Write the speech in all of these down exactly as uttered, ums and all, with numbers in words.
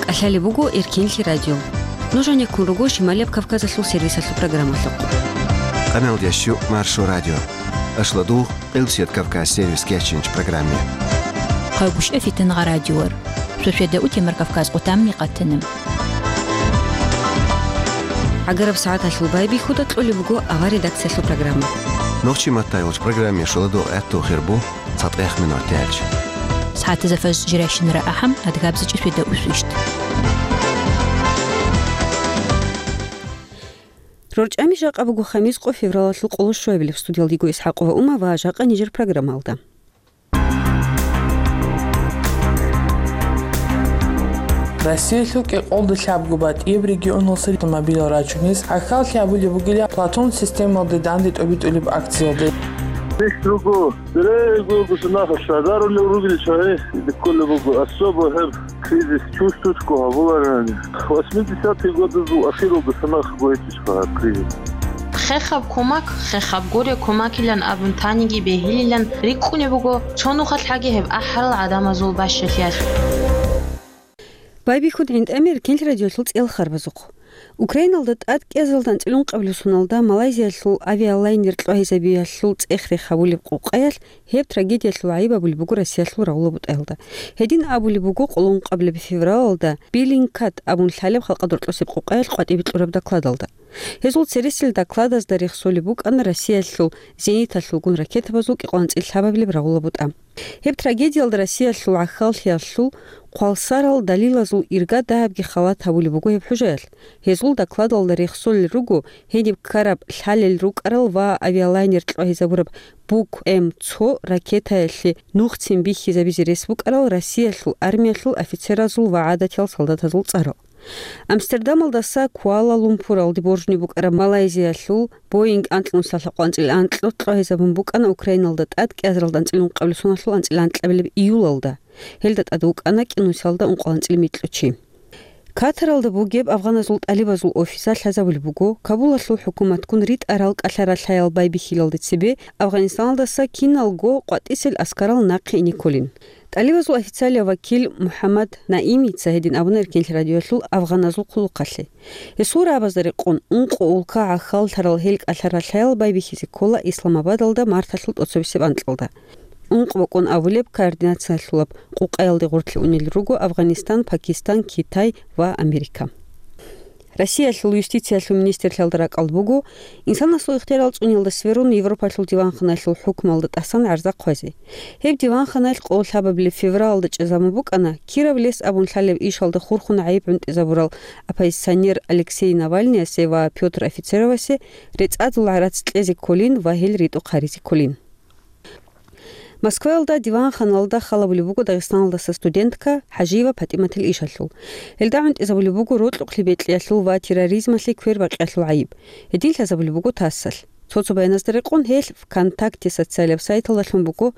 КӀалъалеб буго Эркенлъи радио. Нуж гьанеккун руго Шималияб Кавказалъул сервисалъул программалъухъ. Къаналда щу Маршо радио. Ашладугъ Къилбсият Кавказ сервис кечинч программе. Хъавбушев Фитангъа радиор. Сосведа у Темир Кавказ къутамни къатана. ГӀагараб сагӀаталъул байбихьуда кьолеб буго авар редакциялъул программа. Нохчи маттайгъулч программе шуладугъ гӀатту хирбу цатӀех минуталъ. СагӀатазда фаж жиращинара ахӀам, адгабзичӀи сосведа усвищ. РорчӀами жакъа буго хамис къо февралалъул къоло щуабилеб. Студиялда йиго ИсхӀакъова Ума ва жакъа нижер программалда. Россиялъул кӀикъолда лъабго батӀияб регионалъул автомобилал рачунес гӀахьаллъи гьабулеб бугила Платон системалде данде тӀобитӀулеб акциялде. Здесь другого. Бере государство дарулев ругел чагӀи кколеб буго, особо гьеб кризис чувствуется гьабуларани. Восьмидесятые годы ахиралда санахъго гьечӀищха гьаб кризис. Хехаб кумак, хехаб гуре кумакилан абун таниги бегьилилан рикӀкӀунеб буго цо нухалъ гьаги гьеб ахӀарал гӀадамазул бащалъиялъ. Байбихьун гӀинтӀами Эркенлъи радиолъул цӀел харбазухъ. Украиналда тӀад кӀиазалда анцӀила ункъабилеб соналда Малайзиялъул авиалайнер кьвагьизабиялъул цӀех-рех гьабулеб къукъаялъ гьеб трагедиялъул гӀайиб абулеб буго Россиялъул рагъула бутӀаялда. Гьедин абулеб буго къоло ункъабилеб февралалда Беллингкат абун лъалеб халкъалда рокьосеб къукъаялъ къватӀибе кьураб докладалда. Гьезул цересел докладазда рехсолеб букӀана Россиялъул зениталъулгун ракетабазул кӀикъоялда анцӀила лъабабилеб рагъула бутӀа. Гьеб трагедиялда Россиялъул гӀахьаллъиялъул хъвалсарал далилазул ирга дагьабги халат гьабулеб буго гьеб хӀужаялъ. Гьезул докладалда рехсолел руго гьениб ккараб лъалел рукӀарал ва авиалайнер кьвагьизабураб Бук М цо ракетаялъе нухцин бихьизабизе рес букӀарал Россиялъул армиялъул офицеразул ва гӀадатиял солдатазул цӀарал. Амстердамалдаса Куала-Лумпуралде боржни букӀараб Малайзиялъул Боинг анкьнусалъа къванцӀил анкьго кьвагьизабун букӀана Украиналда тӀад кӀиазаралда анцӀила ункъабилеб соналъул анцӀила анкьабилеб июлалда. Гьелда тӀад вукӀана кӀинусалда ункъоялда анцӀила микьго чи. Катаралда бугеб афганазул тӀалибазул офиса лъазабулеб буго, Кабулалъул хӀукуматгун ритӀарал кӀалъа-ралъаял байбихьилалде цебе Афганистаналдаса киналго къватӀисел аскарал нахъе ине кколин. ТӀалибазул официалияв вакил МухӀаммад Наимица гьедин абуна Эркенлъи радиоялъул афганазул хъулухъалъе. Гьесул рагӀабазда рекъон, ункъо улка гӀахьаллъарал гьел кӀалъа-ралъаял байбихьизе ккола Исламабадалда марталъул тӀоцебесеб анкьалда. Ункъо бокӀун абулеб координациялъулаб къукъаялде гъорлъе унел руго Афганистан, Пакистан, Китай ва Америка. Россиялъул юстициялъул министрлъиялда ракӀалда буго, инсанасул ихтиярал цӀуниялда сверун Европалъул диванханаялъул хӀукмуялда тӀасан гӀарза хъвазе. Гьеб диванханаялъ къоло лъабабилеб февралалда чӀезабун букӀана, Кировлес абун лъалеб ишалда хурхун гӀайиб гӀунтӀизабурал оппозиционер Алексей Навальныясе ва Пётр Офицеровасе рецӀадул гӀарац кьезе кколин ва гьел ритӀухъ гьаризе кколин. Москваялда диванханалда халабулеб буго Дагъистаналдаса студентка ХӀажиева ПатӀиматил ишалъул. Гьелда гӀунтӀизабулеб буго рокьукълъи бекьиялъул ва терроризмалъе квербакъиялъул гӀайиб. Гьедин лъазабулеб буго ТАССалъ. Цо-цо баяназда рекъон гьелъ ВКонтакте социалияб сайталдалъун буго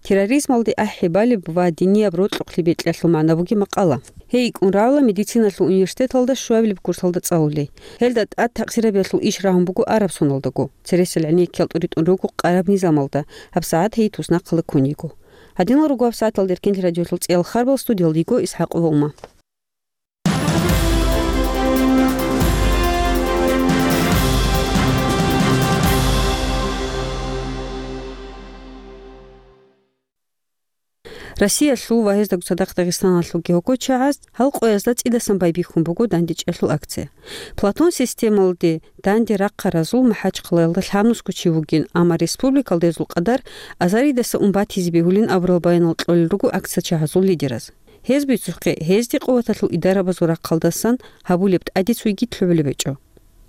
терроризмалде ахӀи балеб ва динияб рокьукълъи бекьиялъул магӀна бугеб макъала. Гьей йикӀун рагӀула медициналъул университеталда щуабилеб курсалда цӀалулей. Гьелда тӀад такъсирабиялъул иш рагьун буго араб соналдаго. Цересел гӀенеккиял тӀуритӀун руго къараб низамалда, гьабсагӀат гьей туснахъала ккун йиго. Гьадинал руго гьабсагӀаталда Эркенлъи радиоялъул цӀиял харбал, студиялда йиго ИсхӀакъова Ума. Россиялъул ва гьездаго цадахъ Дагъистаналъулги гьогочагӀаз гьал къоязда цӀидасан байбихьун буго дандечӀелъул акция. Платон системалде данде рахъаразул МахӀачхъалаялда лъабнусго чи вугин, амма республикалда гьезул къадар азаридаса ун батизе бегьулин абурал баянал кьолел руго акциячагӀазул лидераз. Гьез бицухъе, гьезде къуваталъул идарабазул рахъалдасан гьабулеб тӀаде цойги лъугӀулеб гьечӀо.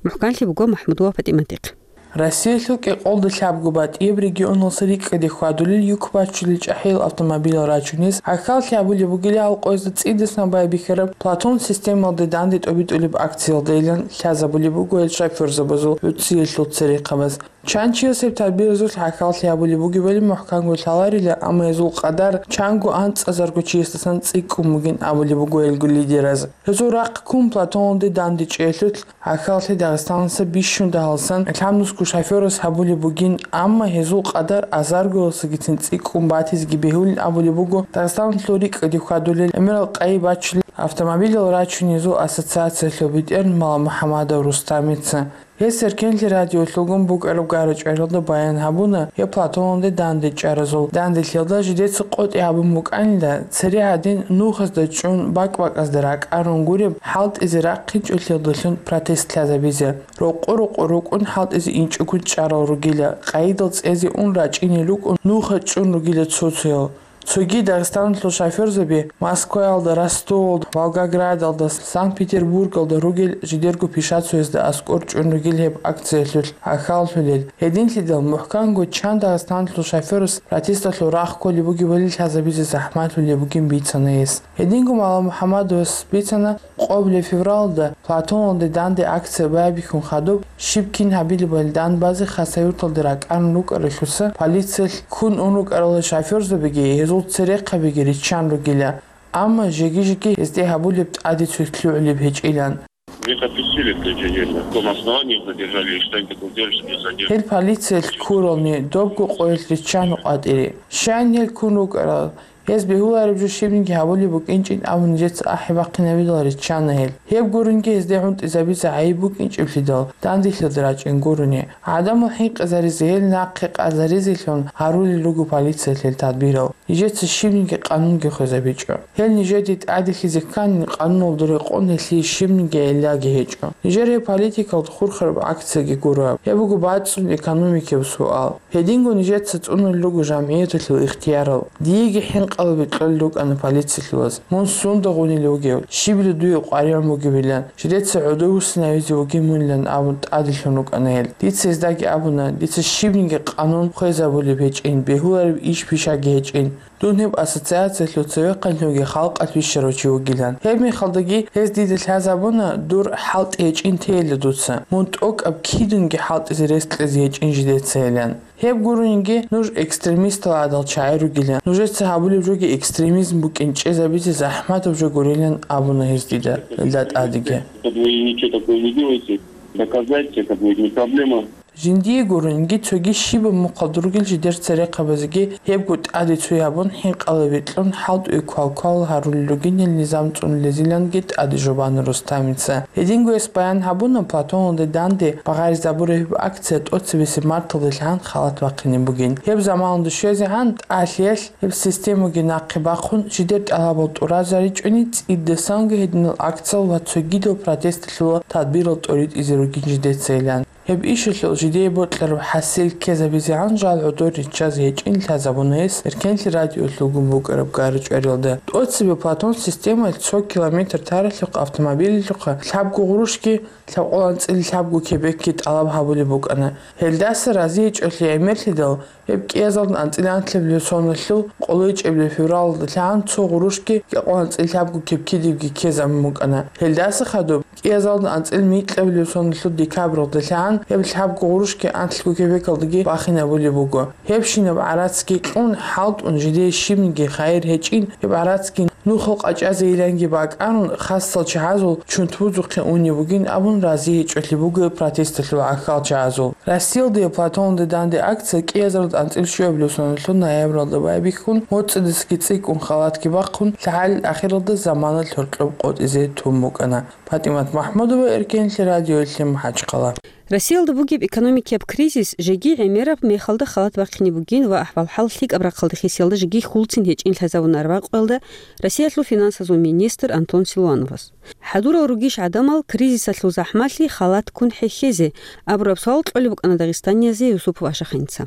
МухӀканлъи буго МахӀмудова ПатӀиматихъ. Россиялъул кӀикъолда лъабго батӀияб регионалъа рикӀкӀаде хьвадулел юк бачулел чӀахӀиял автомобилал рачунес гӀахьаллъи гьабулеб бугила гьал къоязда цӀидасан байбихьараб Платон системалде данде тӀобитӀулеб акциялдайилан лъазабулеб буго гьел шофёрзабазул гӀуцӀиялъул церехъабаз. Чан чияс гьеб тадбиразулъ гӀахьаллъи гьабулеб бугебали мухӀканго лъаларила, амма гьезул къадар чанго анцӀазарго чиясдасан цӀикӀкӀун бугин абулеб буго гьелго лидераз. Гьезул рахъ ккун Платоналде дандечӀелъулъ гӀахьаллъи Дагъистаналдаса бищун дагьалсан лъабнусго шофёрас гьабулеб бугин, амма гьезул къадар азаргоялдасагицин цӀикӀкӀун батизеги бегьулин абулеб буго Дагъистаналъул рикӀкӀаде хьвадулел гӀемерал къайи бачулел Автомобилал рачунезул ассоциациялъул бетӀер Маламухьамадов Рустамица. Гьес Эркенлъи радиолъулгун букӀараб гара-чӀваралда баян гьабуна гьеб Платоналде данде чӀаразул данделъиялда жидеца къотӀи гьабун букӀанила, цере гьадин нухазда чӀун бакӀ-бакӀазда ракӀарун гуреб хӀалтӀизе рахъинчӀолъиялдалъун протест лъазабизе. Рокъо-рокъо рукӀун хӀалтӀизе инчӀого чӀарал ругила, къайидал цӀезе ун рачӀине рукӀун нуха чӀун ругила цо-цоял. Цоги Дагъистаналъул шофёрзаби Москваялда, Ростовалда, Волгоградалда, Санкт-Петербургалда ругел жидерго пишацоязда аскӀор чӀун ругел гьеб акциялъулъ гӀахьаллъулел. Гьединлъидал мухӀканго чан Дагъистаналъул шофёрас протесталъул рахъ кколеб бугебали лъазабизе захӀмалъулеб бугин бицана гьес. Гьединго Маламухьамадовас бицана, къоблъи февралда Платоналде данде акция байбихьун хадуб, щиб кин гьабилебали данбазе Хасавюрталде ракӀарун рукӀаралъуса, полициялъ ккун ун рукӀарал шофёрзабиги гьезул церехъабиги риччан ругила, амма жеги-жеги гьезде гьабулеб тӀаде цоги лъугӀулеб гьечӀилан. Их отпустили в тот же день. На каком основании их задержали и что они такого сделали, что их задерживали? Гьел полициялъ ккурални, добго къоялъ риччана къватӀире. Щайин гьел ккун рукӀарал? Гьез бегьулареб жо щибниги гьабулеб букӀинчӀин абун нижеца ахӀи бахъинабидал риччана гьел. Гьеб гуринги гьезде гӀунтӀизабизе гӀайиб букӀинчӀеблъидал, данделъиялда рачӀин гурони. ГӀадамал хӀинкъизаризе, гьел нахъе къазаризелъун гьарулел руго полициялъ гьел тадбирал. Нижеца щибниги къанунги хвезабичӀо. Гьел нижеде тӀаделъизе кканин, къануналда рекъон гьелъие щибниги гӀиллаги гьечӀо. Нижер гьеб политикалда хурхараб акцияги гуро. Гьеб буго бацӀцӀун экономикияб суал. Гьединго нижеца цӀунулел руго жамгӀияталъул ихтиярал. Диеги хӀинкъалаби кьолел рукӀана полициялъулаз, мун сунда гъунилев вугев, щибила дуе къваригӀун бугебилан, жидеца гӀодовуссинавизе вугин мунилан абун тӀаделъун рукӀана гьел. Дица гьездаги абуна, дица щибниги къанун хвезабулеб гьечӀин, бегьулареб иш-пишаги гьечӀин. Дун гьеб ассоциациялъул цевехъанлъувги халкъалъ вищарав чи вугилан. Гьеб мехалдаги гьез дида лъазабуна, дур хӀалтӀи гьечӀин тейила дуца, мун тӀокӀаб кидунги хӀалтӀизе рес кьезе гьечӀин жидецайилан. Гьеб гуринги нуж экстремистал гӀадал чагӀи ругилан, нужеца гьабулеб жоги экстремизм букӀин чӀезабизе захӀматаб жо гурилан абуна гьез дида, гьелда тӀадеги. Как вы ничего такого не делаете, доказать, как бы, не проблема. Жиндие гуринги цоги щибаб мухъалда ругел жидер церехъабазеги гьебго тӀаде цо гьабун, хӀинкъалаби кьун, хӀалтӀуе квал-квал гьарулел ругин гьел низам цӀунулезиланги тӀаде жубана Рустамица. Гьединго гьес баян гьабуна, Платоналде данде багъаризабураб гьеб акция тӀоцебесеб марталдалъан халат бахъине бугин. Гьеб заманалда щвезегӀан тӀалъиялъ гьеб системаги нахъе бахъун, жидер тӀалабал тӀуразаричӀони, цӀидасанго гьединал акциял ва цогидал протесталъула тадбирал тӀоритӀизе ругин жидецайилан. Гьеб ишалъул жидее бокьараб хӀасил ккезабизегӀан жал гӀодор риччазе гьечӀин лъазабуна гьес Эркенлъи радиолъулгун букӀараб гара-чӀваралда. ТӀоцебе Платон системаялъ цо километр таралъухъ автомобилалъухъа лъабго гъурущги лъабкъоялда анцӀила лъабго кебекги тӀалаб гьабулеб букӀана. Гьелдаса разиячӀолъи гӀемерлъидал, гьеб кӀиязалда анцӀила анлъабилеб соналъул къоло ичӀабилеб февралалдалъан цо гъурущги кӀиазда анцӀила лъабго кебкидибги ккезабун букӀана. Гьелдаса хадуб, кӀиазда анцӀила микьабилеб соналъул декабралдалъан гьеб лъабго гъурущги анлъго кебекалдаги бахинабулеб буго. Гьебщинаб гӀарацги кьун, хӀалтӀун, жидее щибниги хайир гьечӀин, гьеб гӀарацги нухал къачӀазейиланги бакӀарун, хасал чагӀазул чунтбузухъе унеб бугин абун разиячӀолъи буго протесталъул гӀахьал чагӀазул. Россиялда Платоналде данде акция кӀиазда анцӀила щуабилеб соналъул ноябралда байбихьун, моцӀидасаги цӀикӀкӀун халатги бахъун, лъагӀалил ахиралда заманалъ гьоркьоб къотӀизе тун букӀана. ПатӀимат МахӀмудова, Эркенлъи радиоялъе, МахӀачхъала. Россиялда бугеб экономикияб кризис жеги гӀемераб мехалда халат бахъине бугин ва ахӀвал-хӀал лъикӀаб рахъалда хисиялда жеги хьулцин гьечӀин лъазабуна арбякъуялда Россиялъул финансазул министр Антон Силуановас. ХӀадурал ругищ гӀадамал кризисалъул захӀмалъи халат ккун хӀехьезе? Абураб суал кьолеб букӀана дагъистаниязе Юсупов Ашаханица.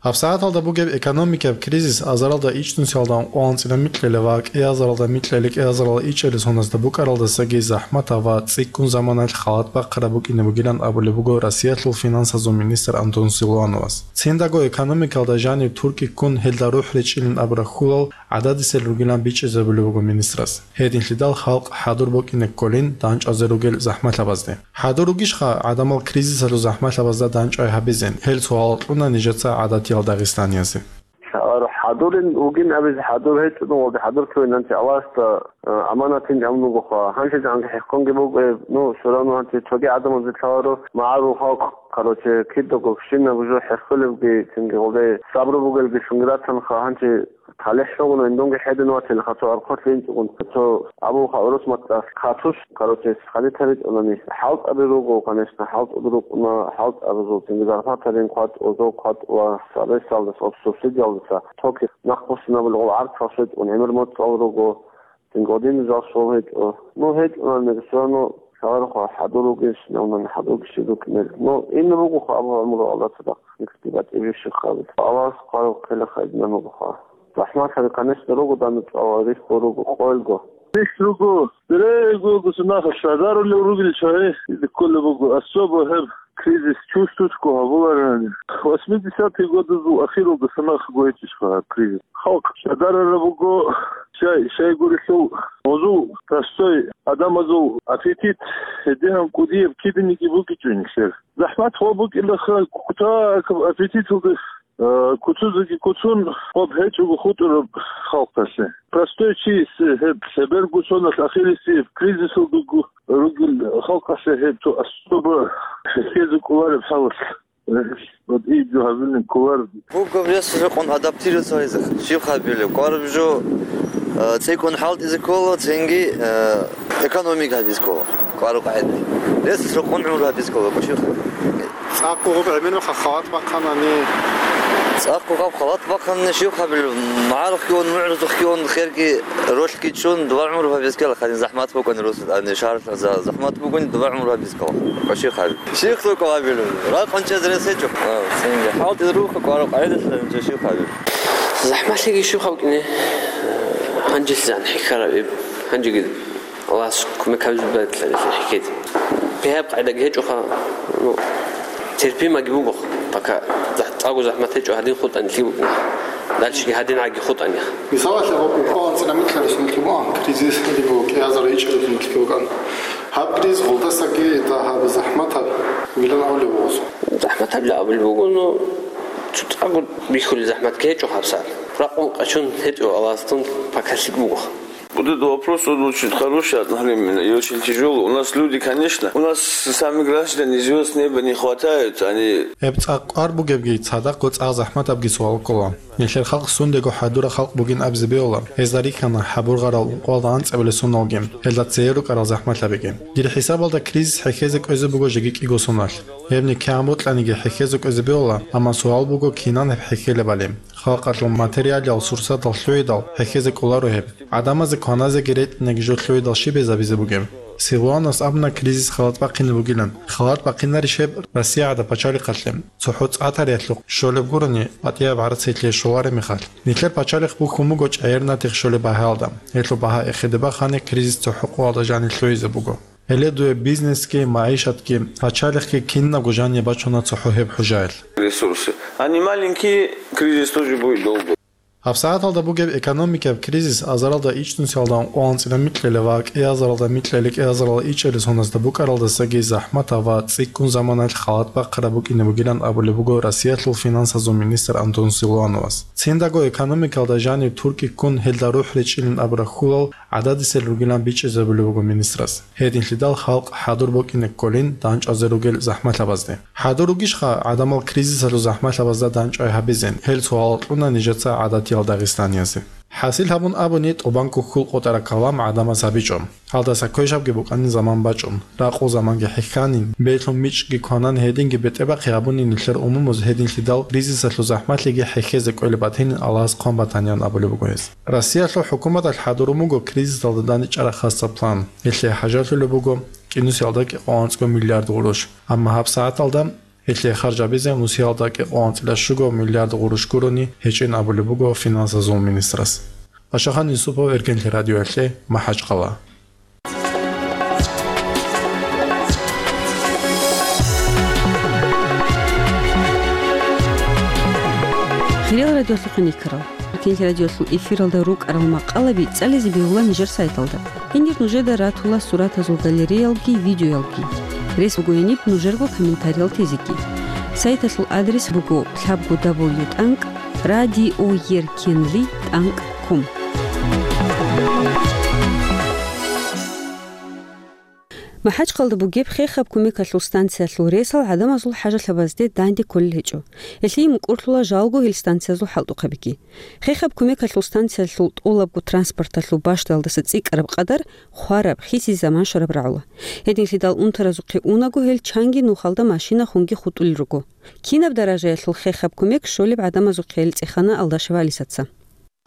ГьабсагӀаталда бугеб экономикияб кризис азаралда ичӀнусиялда ункъоялда анцӀила микьабилеб ва кӀиазда микьабилеб, кӀиазда ичӀабилеб соназда букӀаралдасаги захӀматаб ва цӀикӀкӀун заманалъ халат бахъараб букӀине бугилан абулеб буго Россиялъул финансазул министр Антон Силуановас. Циндаго экономикалда жаниб туркӀи ккун, гьелда рухӀ речӀчӀилин абураб хьулал гӀададисел ругилан бичӀчӀизабулеб буго министрас. Гьединлъидал халкъ хӀадур букӀине кколин дандчӀвазе ругел захӀмалъабазде. ХӀадур ругищха гӀадамал кризисалъул захӀмалъабазда дандчӀвай гьабизе? Гьел суал кьуна нижеца гӀадатиял дагъистаниязе. Лъаларо хӀадурин вугин абизе, хӀадур гьечӀо, ну, валде хӀадур ккевин, гьанже Аллагьасда, э, аманатин гьабун бугоха. Гьанже гьанже хӀеххонги бугеб, ну, все равно гьанже цоги гӀадамазе лъаларо, магӀарул халкъ, короче, кидаго квешинаб жо хӀеххолебги, цинги гьелде сабру бугелги цинги ратанха, гьанже ТалихӀ лъугьуна, индунги хӀедин ватила, хъацо архъулъ инчӀогун, хъацо абулха гӀурус мацӀалъ хъатулъ, короче, хъалитаричӀунани. ХӀалтӀаби руго, конечно, хӀалтӀуд рукӀуна, хӀалтӀабазул цинги зарплатарин хъватӀ, озол хъватӀ ва сабесалдаса, субсидиялдаса токи нахъбуссинабулгъул гӀарцал щвечӀун гӀемер моцӀал руго, цинги гъодинизал щол гьечӀо. Ну, гьечӀунани, все равно, шагьарухъа хӀадур ругищ, навнани хӀадурги щиб рукӀинел. Ну, ин ругоха абу гӀумру Аллагьасда. Никти батӀи бищухъабил. Аллагьас хъвараб хъела хайдинан бугоха. ЗахӀматаби, конечно, руго данде цӀала, рихьго руго, къоялго. Рихь руго, берего гусунаха шагьарулев ругел чагӀи, кколеб буго, особо гьеб кризис чувствуется гьабуларани. Восьмидесятые годазул ахиралдаса нахъго гьечӀищха гьаб кризис. Халкъ шагьарараб буго, щай, щай гурелъул, гьезул простой адамазул аппетит, гьедигьан кӀудияб кибиниги бугичӀо нилъер. ЗахӀмат гъо букӀилаха, кутакаб аппетиталда, э, куцузеги куцун, гъоб гьечӀого хутӀараб халкъалъе. Простой чиясе гьеб лъеберго соналъ ахирисеб кризисалдаго ругел халкъалъе гьеб цо особо хӀехьезе кӀолареб хӀалалъ. Э, вот и жо гьабилин кколар. Буго рес рекъон адаптироваться гьаризе, щиб хабилеб, кӀвараб жо, э, цӀикӀкӀун хӀалтӀизе ккола, цинги, э, экономика гьабизе ккола. КӀвараб къагӀидаялъ. Рес рекъон гӀумру гьабизе ккола, щиб хабилеб. ЦӀакъго гъоб гӀемер мехалъ халат бахъанани. ЦӀакъго гъаб халат бахъанани, щиб хабилеб, магӀарухъги ун, мугӀрузухъги ун, херги ролъги чӀун, дуба гӀумру гьабизе ккела, хадин захӀмат букӀани рус, ани шагьар за-, захӀмат бугони, дуба гӀумру гьабизе ккола. Щиб хабилеб. Щиб хӀукму гьабилеб. Ракъун чӀезе рес гьечӀо. А, цинги. ХӀалтӀизе руго, кӀвараб къагӀидаялъ, щиб хабилеб. ЗахӀматлъиги щиб хӀукму букӀине, гьанжелъизегӀан хӀехьараб иб, гьанжеги Аллагьас кумек гьабизе бегьуларо хӀехьезе. Бегьаб къагӀидаги гьечӀоха, ну, терпимаги буго, пока захӀ-, цӀакъго захӀмат гьечӀо, гьадин хутӀани лъикӀ букӀине. Дальшеги гьадин гӀаги хутӀани. Мисалалъе, гъо-, гъо-, анцӀила микьа ресурс буган, кризис лъугьун буго, кӀиазар ичӀараб микьа буган. Гьаб кризис гъолдасаги дагьаб захӀматаб вилан гьавлеб буго. ЗахӀматаб гьавлеб буго, ну, цо цӀакъго бихьулеб захӀматги гьечӀо гьабсагӀат. Ракъун къачун гьечӀо, Аллагьасдун пока лъикӀ буго. Вот этот вопрос, он очень хороший, одновременно и очень тяжёлый. У нас люди, конечно, у нас сами граждане звёзд с неба не хватают, они... Гьеб цӀакъ кӀвар бугебги, цадахъго цӀакъ захӀматабги суал ккола. Нилъер халкъ сундего хӀадурал халкъ бугин абизе бегьула, гьезда рихьана хӀабургъарал ункъоялда анцӀабилеб соналги, гьелда цее рукӀарал захӀматабиги. Дир хӀисабалда кризис хӀехьезе кӀвезе буго жеги кӀиго соналъ. Гьеб никегӀан бокьаниги хӀехьезе кӀвезе бегьула, амма суал буго, кинан гьеб хӀехьелебали. Халкъалъул материалиял сурсатал лъугӀидал хӀехьезе кӀоларо гьеб. ГӀадамазе кваназеги ретӀинаги жо лъугӀидал щиб гьезабизе бугеб? Силуанас абуна кризис халат бахъине бугилан. Халат бахъинарищ гьеб Россия гӀадаб пачалихъалъе? ЦохӀо цӀа тариялъухъ щолеб гурони, батӀияб гӀарцалъе щолареб мехалъ. Нилъер пачалихъ бухьун буго чӀегӀер натихъ щолеб багьаялда. Гьелъул багьа эхеде бахани, кризис цохӀо къоялда жанир лъугӀизе буго. Гьеле дуе бизнесги, магӀишатги, пачалихъги кинабго жаниб бачуна цохӀо гьеб хӀужаялъ. Ресурсы. Они маленькие, кризис тоже будет долго. ГьабсагӀаталда бугеб экономикаб кризис азаралда ичӀнусиялда ункъоялда анцӀила микьилеб ва кӀиазаралда микьилел кӀиазаралда ичӀабилеб соназда букӀаралдасаги захӀматаб ва цӀикӀкӀун заманаялъ халат бахъараб букӀине бугилан абулеб буго Россиялъул финансазул министр Антон Силуановас. Циндаго экономикалда жаниб туркӀи ккун гьелда рухӀ речӀчӀилин абураб хьулал гӀададисел ругилан бичӀчӀизабулеб буго министрас. Гьединлъидал халкъ хӀадур букӀине кколин дандчӀвазе ругел захӀмалъабазде. ХӀадур ругищха гӀадамал кризисалъул захӀмалъабазда дандчӀвай гьабизе? Гьел суал кьуна нижеца гӀадатиял дагъистаниязе. ХӀасил гьабун абуни, тӀубанго хьул къотӀараб калам гӀадамаз гьабичӀо. Гьалдаса квешабги букӀанин заман бачӀун, ракъул заманги хӀехьанин, бедлъун мичӀги кванан, гьединги бетӀербахъи гьабунин нилъер умумуз, гьединлъидал кризисалъул захӀмалъиги хӀехьезе кӀолеб батинин Аллагьас хъван батаниан абулеб буго гьес. Россиялъул хӀукуматалъ хӀадурун буго кризисалда дандчӀвараб хасаб план. Гьелъие хӀажалъулеб буго кӀинусиялда кӀикъоялда анцӀго миллиард гъурущ. Амма гьабсагӀаталда гьелъие харжабизе нусиялда кӀикъоялда анцӀила щуго миллиард гъурущ гурони гьечӀин абулеб буго финансазул министрас. Пашахан Юсупов, Эркенлъи радиоялъе, МахӀачхъала. Хириял радиолъухъе рикӀкӀарал. Кинлъи радиолъул эфиралда рукӀарал макъалаби цӀализе бегьула нижер сайталда. Гьенир нужеда ратула суратазул галереялги, видеоялги. Рес буго гьениб нужерго комментариял тезеги. Сайталъул адрес буго лъабго дабл ю тӀанкӀ радиоеркенлъи тӀанкӀ ком. МахӀачхъалда бугеб хехаб кумекалъул станциялъул ресал гӀадамазул хӀажалъабазде данде кколел гьечӀо. Гьелъие мукӀурлъула жалго гьел станциязул хӀалтӀухъабиги. Хехаб кумекалъул станциялъул тӀолабго транспорталъул бащдалдаса цӀикӀкӀараб къадар хвараб, хисизе заман щвараб рагӀула. Гьединлъидал унтаразухъе унаго гьел чанги нухалда машина хунги хутӀулел руго. Кинаб даражаялъул хехаб кумек щолеб гӀадамазухъе гьел цӀехана Алдашева Алисаца.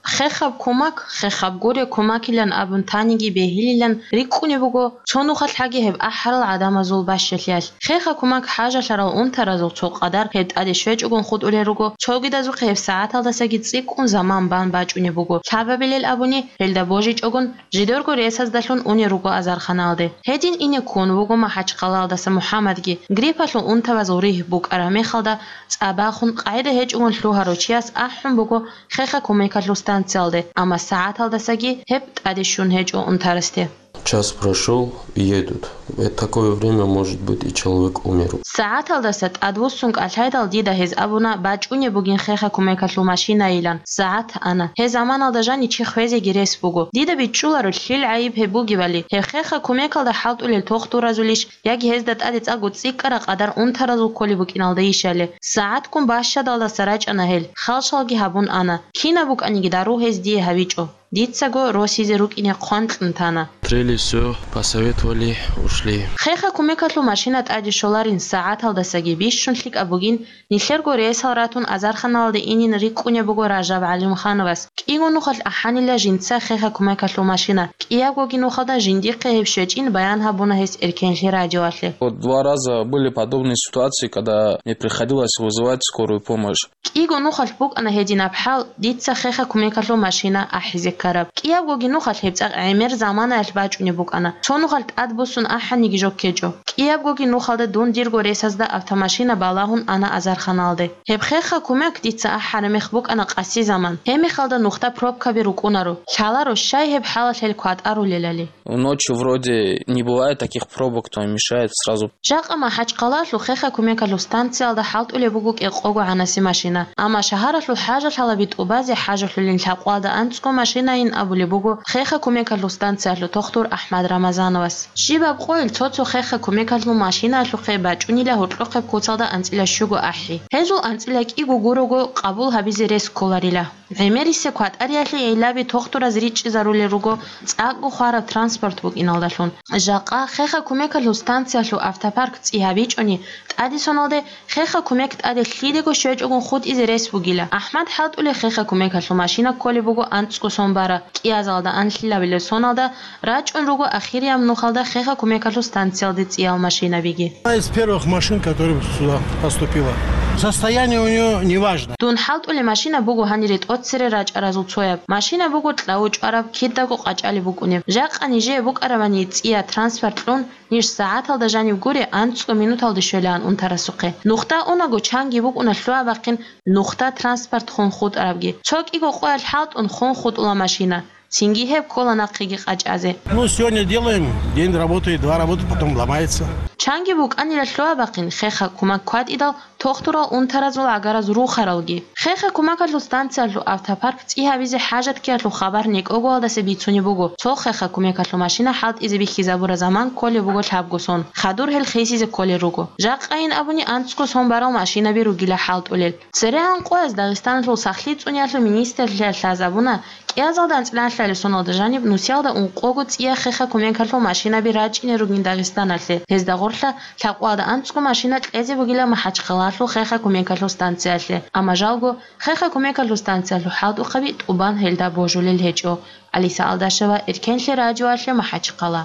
Хехаб кумак, хехаб гуре кумакилан абун таниги бегьилилан рикӀкӀунеб буго, цо нухалъ гьаги гьеб ахӀарал гӀадамазул бащалъиялъ. Хеха кумак хӀажалъарал унтаразул цо къадар гьеб тӀаде щвечӀогун хутӀулел руго, цогидазухъе гьеб сагӀаталдасаги цӀикӀкӀун заман бан бачӀунеб буго. Лъабабилел абуни, гьелда божичӀогун, жидерго ресаздалъун унел руго азарханалде. Гьедин ине ккун вуго МахӀачхъалаялдаса МухӀаммадги. Гриппалъул унтабазул ригь букӀараб мехалда, цӀа бахун, къагӀида гьечӀогун лъугьарав чияс ахӀун буго хеха кумекалъул станциялде, амма сагӀаталдасаги гьеб тӀаде щун гьечӀо унтарасде. Час прошёл, едут. В такое время, может быть, и человек умер. СагӀаталдаса тӀадвуссун кӀалъайдал дида гьез абуна бачӀунеб бугин хеха кумекалъул машинайилан. СагӀат ана. Гьеб заманалда жанив чи хвезеги рес буго. Дида бичӀчӀуларо, лъил гӀайиб гьеб бугебали, гьеб хеха кумекалда хӀалтӀулел тохтуразулищ, яги гьезда тӀаде цӀакъго цӀикӀкӀараб къадар унтаразул кколеб букӀиналдайищали. СагӀатккун бащадалдаса рачӀана гьел, халшалги гьабун ана. Кинаб букӀаниги дару гьез дие гьабичӀо. Дицаго росизе рукӀине хъван кьун тана. Трели всё, посоветовали, ушли. Хеха кумекалъул машина тӀаде щоларин сагӀаталдасаги бищун лъикӀаб бугин, нилъерго рейсал ратун азарханалде инин рикӀкӀунеб буго Ражаб ГӀалимхановас. КӀиго нухалъ ахӀанила жинца хеха кумекалъул машина. КӀиябгоги нухалда жиндихъе гьеб щвечӀин баян гьабуна гьес Эркенлъи радиоялъе. Вот два раза были подобные ситуации, когда мне приходилось вызывать скорую помощь. КӀиго нухалъ букӀана гьединаб хӀал, дица хеха кумекалъул машина ахӀизе ккараб. КӀиябгоги нухалъ гьеб цӀакъ гӀемер заманаялъ бачӀунеб букӀана. Цо нухалъ тӀадбуссун ахӀаниги жо ккечӀо. КӀиябгоги нухалда дун дирго ресазда автомашина балагьун ана азарханалде. Гьеб хеха кумек дица ахӀараб мех букӀана къаси заман. Гьеб мехалда нухда пробкаби рукӀунаро. Лъаларо щай гьеб хӀалалъ гьел кватӀарулелали. Ночью вроде не бывает таких пробок, то мешает сразу. Жакъа МахӀачхъалалъул хеха кумекалъул станциялда хӀалтӀулеб буго кӀикъого гӀанаси машина. Амма шагьаралъул хӀажалъалаби тӀубазе хӀажалъулин лъакъвалда анцӀго машинайин абулеб буго хеха кумекалъул станциялъул тохтур АхӀмад Рамазановас. Щибаб къойил цо-цо хеха кумекалъул машинаялъухъе бачӀунила гьоркьохъеб куцалда анцӀила щуго ахӀи. Гьезул анцӀила кӀиго гурого къабул гьабизе рес кколарила. ГӀемерисеб кватӀариялъе гӀиллаби тохтураз ричӀчӀизарулел руго цӀакъго хвараб транспорт букӀиналдалъун. Жакъа хеха кумекалъул станциялъул автопарк цӀи гьабичӀони, тӀаде соналде хеха кумек тӀаде лъидего щвечӀогун хутӀизе рес бугила. АхӀмад хӀалтӀулел хеха кумекалъул машина кколеб буго анцӀго сон бара, кӀиазалда анлъилабилеб соналда рачӀун руго ахирияб нухалда хеха кумекалъул станциялде цӀиял машинабиги. Одна из первых машин, которая сюда поступила. Состояние у неё неважное. Дун хӀалтӀулеб машина буго гьанире тӀоцере рачӀаразул цояб. Машина буго кьавучӀвараб, кидаго къачӀалеб букӀунеб. Жакъа нижее букӀарабани цӀия транспорт кьун, ниж сагӀаталда жаниб гуре анцӀго минуталде щвелаан унтарасухъе. Нухда унаго чанги букӀуна лъугьа-бахъин нухда транспорт хун хутӀарабги. Цо кӀиго къоялъ хӀалтӀун хун хутӀула машина. Цинги гьеб ккола нахъеги къачӀазе. Ну, сегодня делаем, день работает, два работает, потом ломается. Чанги букӀанила лъугьа-бахъин хеха кумак кватӀидал тохтурал унтаразул гӀагараз рухаралги. Хеха кумакалъул станциялъул автопарк цӀи гьабизе хӀажат ккеялъул хабар некӀогоялдаса бицунеб буго, цо хеха кумекалъул машина хӀалтӀизе бихьизабураб заман кколеб буго лъабго сон, хадур гьел хисизе кколел руго. Жакъайин абуни анцӀго сон барал машинаби ругила хӀалтӀулел. Церегьан къояз Дагъистаналъул сахлъи цӀуниялъул министрлъиялъ лъазабуна, кӀиазалда анцӀила анлъабилеб соналда жаниб нусиялда ункъого цӀия хеха кумекалъул машинаби рачӀине ругин Дагъистаналъе. Гьезда гъорлъа лъабкъоялда анцӀго машина кьезе бугила МахӀачхъалалъул хеха кумекалъул станциялъе. Амма жалго, хеха кумекалъул станциялъул хӀалтӀухъаби тӀубан гьелда божулел гьечӀо. Алиса Алдашева, Эркенлъи радиоялъе, МахӀачхъала.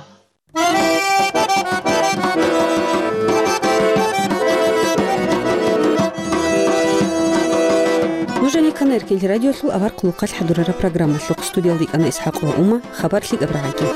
Нуж гьанир ккана Эркенлъи радиолъул авар хъулухъалъ хӀадурараб программалъухъ. Студиялда йикӀана ИсхӀакъова Ума, хабар лъикӀаб рагӀаги.